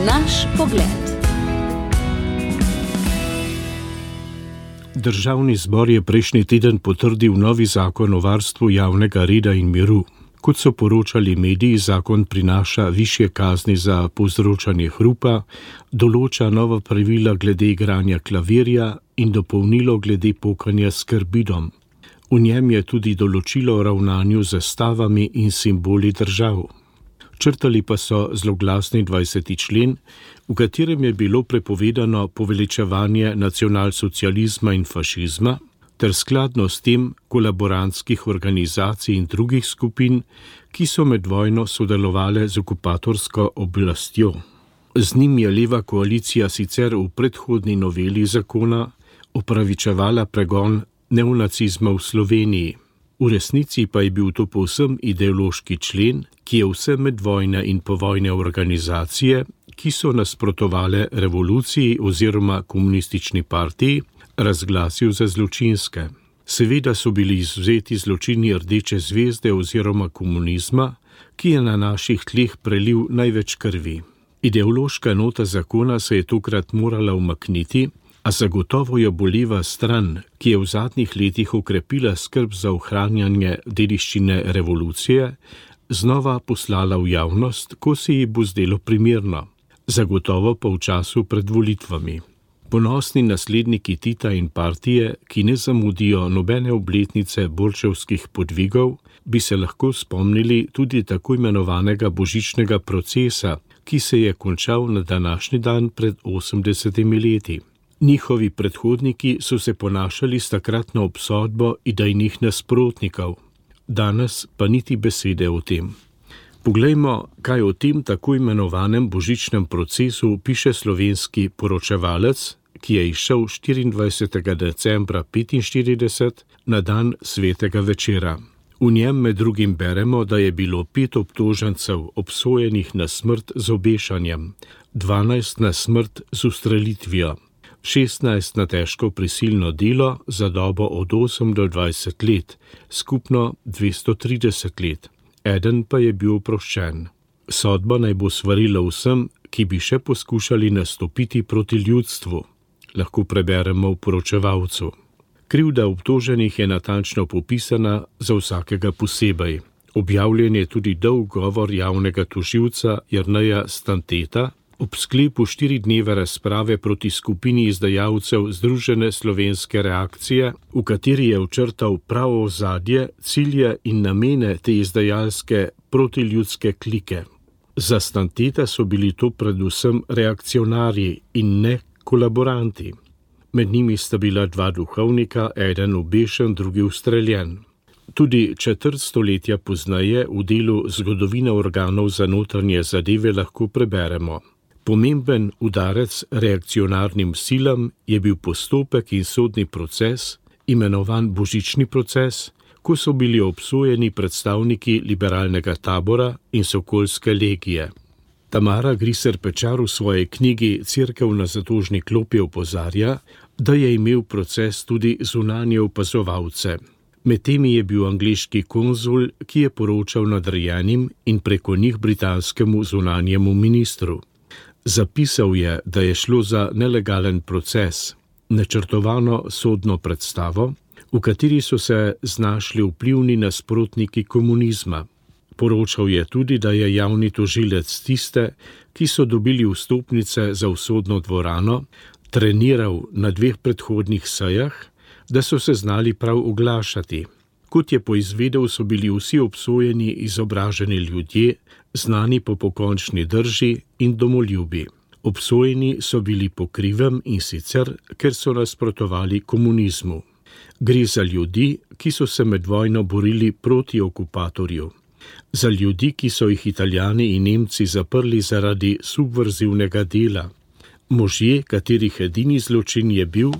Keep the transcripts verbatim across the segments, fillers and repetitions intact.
Naš pogled. Državni zbor je prejšnji teden potrdil novi zakon o varstvu javnega reda in miru. Kot so poročali mediji, zakon prinaša višje kazni za povzročanje hrupa, določa nova pravila glede igranja klavirja in dopolnilo glede pokanja s karbidom. V njem je tudi določilo o ravnanju z zastavami in simboli držav. Črtali pa so zloglasni dvajseti člen, v katerem je bilo prepovedano poveličevanje nacionalsocializma in fašizma, ter skladno s tem kolaborantskih organizacij in drugih skupin, ki so med vojno sodelovale z okupatorsko oblastjo. Z njim je leva koalicija sicer v predhodni noveli zakona opravičevala pregon neonacizma v Sloveniji. V resnici pa je bil to povsem ideološki člen, ki je vse medvojne in povojne organizacije, ki so nasprotovale revoluciji oziroma komunistični partiji, razglasil za zločinske. Seveda so bili izvzeti zločini Rdeče zvezde oziroma komunizma, ki je na naših tleh prelil največ krvi. Ideološka nota zakona se je tokrat morala umakniti, a zagotovo jo boleva stran, ki je v zadnjih letih okrepila skrb za ohranjanje dediščine revolucije, znova poslala v javnost, ko se ji bo zdelo primerno, zagotovo pa v času pred volitvami. Ponosni nasledniki Tita in partije, ki ne zamudijo nobene obletnice borčevskih podvigov, bi se lahko spomnili tudi tako imenovanega božičnega procesa, ki se je končal na današnji dan pred osemdesetimi leti. Njihovi predhodniki so se ponašali s takratno obsodbo idejnih nasprotnikov, danes pa niti besede o tem. Poglejmo, kaj o tem tako imenovanem božičnem procesu piše slovenski poročevalec, ki je izšel štiriindvajsetega decembra petinštirideset na dan svetega večera. V njem med drugim beremo, da je bilo pet obtožencev obsojenih na smrt z obešanjem, dvanajst na smrt z ustrelitvijo, šestnajst na težko prisilno delo za dobo od osem do dvajset let, skupno dvesto trideset let. Eden pa je bil oproščen. Sodba naj bo svarila vsem, ki bi še poskušali nastopiti proti ljudstvu, lahko preberemo v poročevalcu. Krivda obtoženih je natančno popisana za vsakega posebej. Objavljen je tudi dolg govor javnega tožilca Jerneja Stanteta, ob sklepu štiri dneve razprave proti skupini izdajalcev Združene slovenske reakcije, v kateri je očrtal pravo ozadje, cilje in namene te izdajalske protiljudske klike. Za Stanteta so bili to predvsem reakcionarji in ne kolaboranti. Med njimi sta bila dva duhovnika, eden obešen, drugi ustreljen. Tudi četrt stoletja pozneje v delu Zgodovina organov za notranje zadeve lahko preberemo. Pomemben udarec reakcionarnim silam je bil postopek in sodni proces, imenovan božični proces, ko so bili obsojeni predstavniki liberalnega tabora in sokolske legije. Tamara Griser Pečar v svoji knjigi Cerkev na zatožni klopi opozarja, da je imel proces tudi zunanje opazovalce. Med temi je bil angleški konzul, ki je poročal nadrejenim in preko njih britanskemu zunanjemu ministru. Zapisal je, da je šlo za nelegalen proces, načrtovano sodno predstavo, v kateri so se znašli vplivni nasprotniki komunizma. Poročal je tudi, da je javni tožilec tiste, ki so dobili vstopnice za usodno dvorano, treniral na dveh predhodnih sejah, da so se znali prav oglašati. Kot je poizvedel, so bili vsi obsojeni izobraženi ljudje, znani po pokončni drži in domoljubi. Obsojeni so bili po krivem in sicer, ker so nasprotovali komunizmu. Gre za ljudi, ki so se med vojno borili proti okupatorju. Za ljudi, ki so jih Italijani in Nemci zaprli zaradi subverzivnega dela. Možje, katerih edini zločin je bil,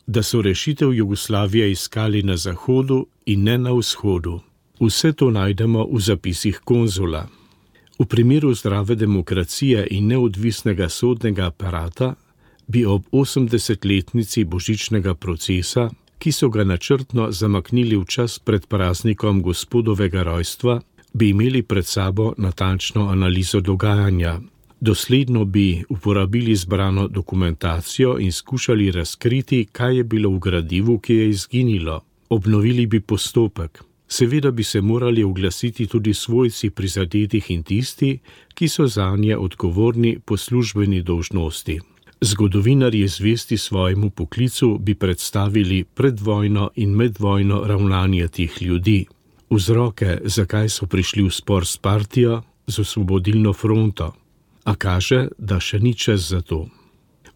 da so rešitev Jugoslavije iskali na zahodu in ne na vzhodu. Vse to najdemo v zapisih konzula. V primeru zdrave demokracije in neodvisnega sodnega aparata bi ob osemdesetletnici božičnega procesa, ki so ga načrtno zamaknili v čas pred praznikom gospodovega rojstva, bi imeli pred sabo natančno analizo dogajanja. Dosledno bi uporabili zbrano dokumentacijo in skušali razkriti, kaj je bilo v gradivu, ki je izginilo. Obnovili bi postopek. Seveda bi se morali oglasiti tudi svojci prizadetih in tisti, ki so zanje odgovorni po službeni dolžnosti. Zgodovinarji zvesti svojemu poklicu bi predstavili predvojno in medvojno ravnanje teh ljudi. Vzroke, zakaj so prišli v spor s partijo, z Osvobodilno fronto. A kaže, da še ni čas za to.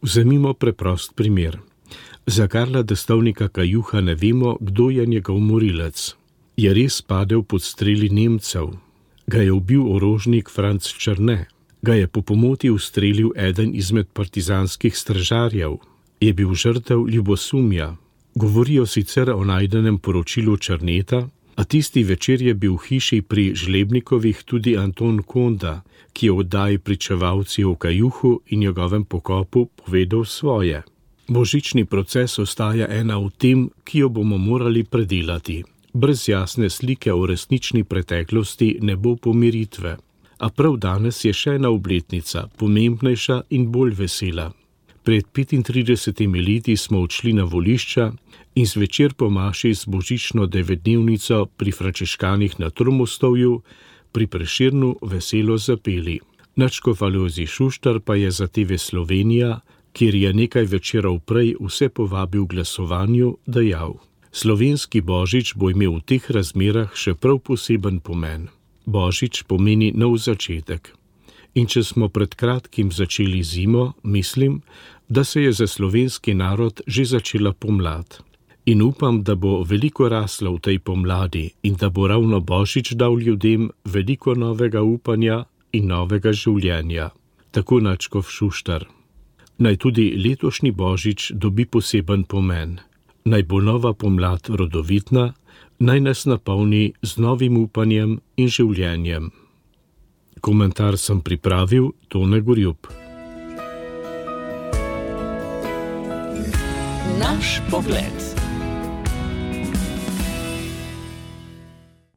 Vzemimo preprost primer. Za Karla Destovnika Kajuha ne vemo, kdo je njegov morilec. Je res padel pod streli Nemcev? Ga je ubil orožnik Franc Črne? Ga je po pomoti ustrelil eden izmed partizanskih stražarjev? Je bil žrtev ljubosumja? Govorijo sicer o najdenem poročilu Črneta, a tisti večer je bil v hiši pri Žlebnikovih tudi Anton Konda, ki je v oddaji Pričevalci o Kajuhu in njegovem pokopu povedal svoje. Božični proces ostaja ena v tem, ki jo bomo morali predelati. Brez jasne slike o resnični preteklosti ne bo pomiritve. A prav danes je še ena obletnica, pomembnejša in bolj vesela. Pred petintridesetimi leti smo odšli na volišča in zvečer po maši z božično devetdnevnico pri Frančiškanih na Tromostovju pri Prešernu veselo zapeli. Nadškof Alojzij Šuštar pa je za T V Slovenija, kjer je nekaj večerov prej vse povabil k glasovanju, dejal: Slovenski božič bo imel v teh razmerah še prav poseben pomen. Božič pomeni nov začetek. In če smo pred kratkim začeli zimo, mislim, da se je za slovenski narod že začela pomlad. In upam, da bo veliko rasla v tej pomladi in da bo ravno božič dal ljudem veliko novega upanja in novega življenja. Tako nadškof Šuštar. Naj tudi letošnji božič dobi poseben pomen. Naj bo nova pomlad rodovitna, naj nas napolni z novim upanjem in življenjem. Komentar sem pripravil Tone Gorjup. Naš pogled.